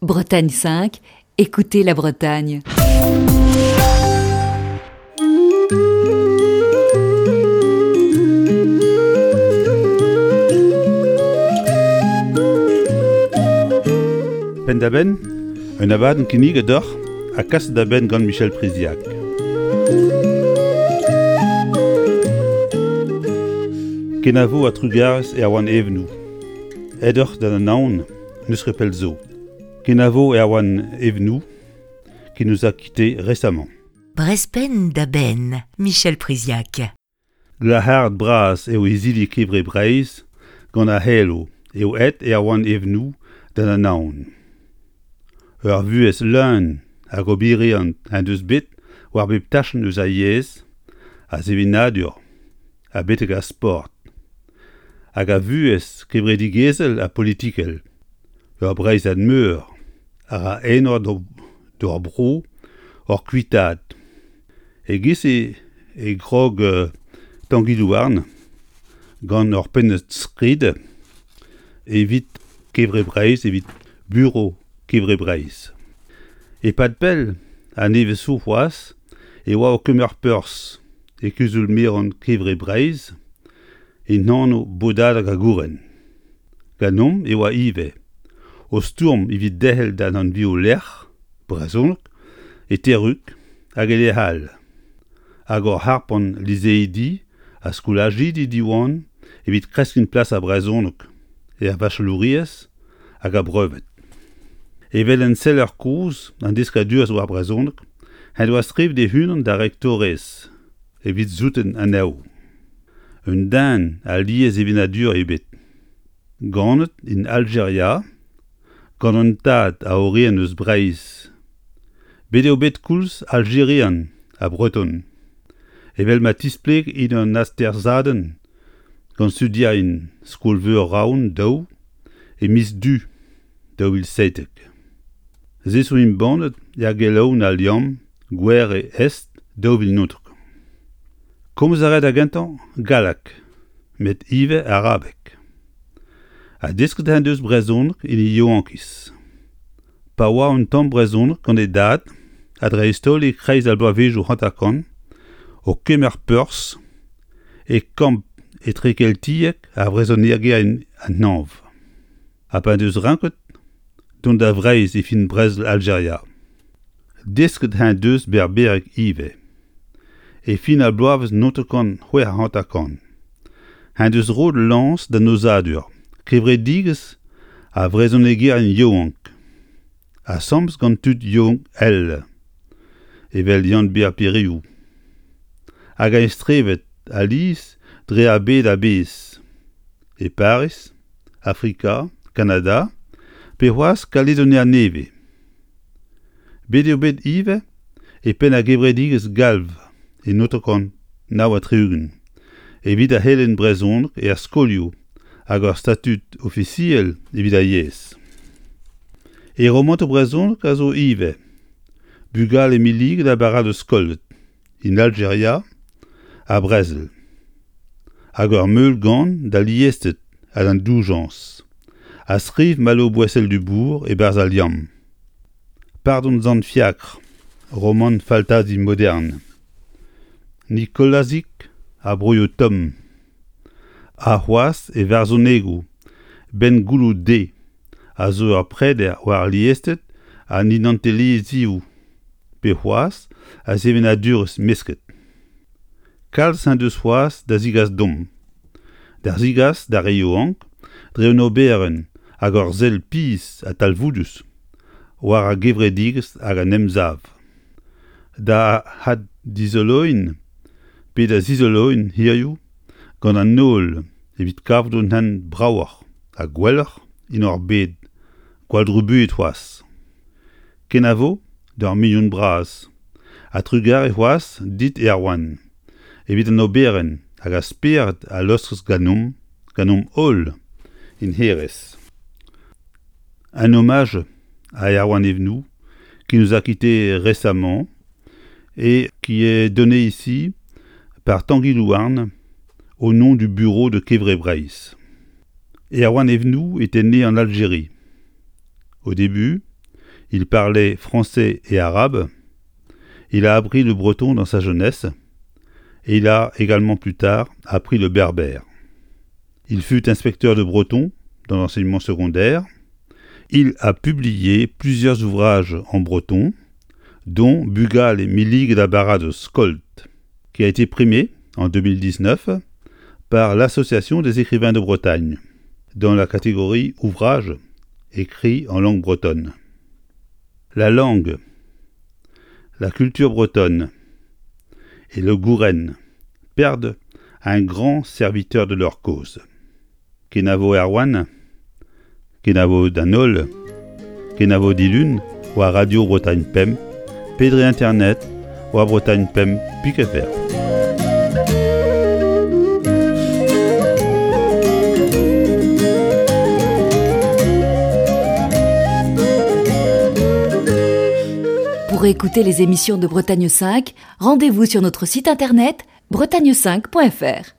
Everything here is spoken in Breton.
Bretagne 5, écoutez la Bretagne. Penn-da-benn, un abadenn kinniget deoc'h ha kaset da benn gant Michel Priziac. Kenavo ha trugarez Erwan Evenou. Aet oc'h d'an Anaon n'eus ket pell zo. Kenavo Erwan Evenou qui nous a quittés récemment. Brezpenn da benn, Michel Priziac. Glac'haret bras eo izili Kevre Breizh gant ar c'helo eo aet Erwan Evenou d'an Anaon. Ur vuhez leun hag oberiant en deus bet war bep tachenn eus ar yezh, ar sevenadur ha betek ar sport, hag a vuhez kevredigezhel ha politikel. Ur Breizhad meur a ra enor d'hor bro hor kuitaat. E-giz-se e krog Tangi Louarn gant ur pennad-skrid evit Kevre Breizh, evit Bureau Kevre Breizh. E-pad pell ha nevez zo c'hoazh e oa o kemer perzh e kuzul-merañ Kevre Breizh en anv Bodadeg ar Gouren. Ganeomp e oa ivez o stourm evit derc'hel d'an anvioù-lec'h brezhonek e Terrug hag e lec'h all, hag oc'h harpañ liseidi ha skolajidi Diwan evit kreskiñ plas ar brezhoneg er vachelouriezh hag ar brevet. Evel enseller kozh an deskadurezh war brezhoneg en doa skrivet e-unan d'ar rektorez evit souten anezho. Un den a liessevenadur eo bet. Ganet en Aljeria gant un tad a orin eus Breizh. Bet eo bet koulz Aljerian ha Breton, evel ma tispleg en un atersadenn gant studierien Skol-veur Rouen daou e miz Du 2017. Se zo embannet er gelaouenn Al Liamm Gouere Est 2019. Komz a ra da gentañ galleg, met ivez arabeg. Ha desket en deus brezhoneg en e yaouankiz. Pa oa un tamm brezhoneg gant e dad, ha dreist-holl e-kreiz ar bloavezhioù hanter-kant, o kemer perzh e kamp etrekeltiek ar vrezhonegerien an hañv. Ha pa en deus ranket dont da Vreizh e fin brezel Aljeria. Desket eñ deus berbereg ivez. E fin ar bloavezh 1956 eñ deus roet lañs d'an aozadur kevredigezh ar vrezhonegerien yaouank, asambles gant tud yaouank all evel Yann-Bêr Piriou, hag eñ strevet alies dre ar bed a-bezh, e Pariz, Afrika, Kanada pe c'hoazh Kaledonia-Nevez. Bet eo bet ivez e penn ar gevredigezh Galv e 1969 evit ar c'helenn brezhoneg er skolioù hag ur statud ofisiel evit ar yezh. E romantoù brezhonek a zo ivez Bugale milliget ha Baradoz kollet. en Aljeria ha brezel, hag ur meulgan d'al liested ha d'an doujañs, a skriv Malo Bouessel-Dubourg e-barzh Al Liamm. Pardon Sant Fiakr, romant faltazi modern. Nikolazig ha broioù tomm. Ha c'hoazh e varzhonegoù 'Benn gouloù de a zo ur preder war liested an idantelezhioù. pe c'hoazh a sevenadurezh mesket. Kalz en deus c'hoazh da zigas deomp, da zigas d'ar re yaouank dre un oberenn hag ur sell pizh ha talvoudus war ar gevredigezh hag an emsav. Da addizoloiñ pe da zizoloiñ hiziv gant an holl evit kavout un hent bravoc'h ha gwelloc'h en hor bed gwall-drubuilhet c'hoazh. Kenavo d'ur mignon bras ha trugarez c'hoazh dit Erwan evit an oberenn hag ar spered a laoskez ganeomp, ganeomp-holl en hêrezh. Un hommage à Erwan Evenou qui nous a quittés récemment et qui est donné ici par Tanguy Louarn au nom du bureau de Kevre Breizh. Erwan Evenou était né en Algérie. Au début, Il parlait français et arabe. Il a appris le breton dans sa jeunesse et il a également plus tard appris le berbère. Il fut inspecteur de breton dans l'enseignement secondaire. Il a publié plusieurs ouvrages en breton, dont Bugal et Milig la de Skolt, qui a été primé en 2019 par l'Association des écrivains de Bretagne, dans la catégorie Ouvrage écrit en langue bretonne. La langue, la culture bretonne et le gouren perdent un grand serviteur de leur cause. Kenavo Erwan, kenavo d'an holl, kenavo dilun war Radio Bretagne Pemp pe dre internet war bretagne5.fr. Pour écouter les émissions de Bretagne 5, rendez-vous sur notre site internet bretagne5.fr.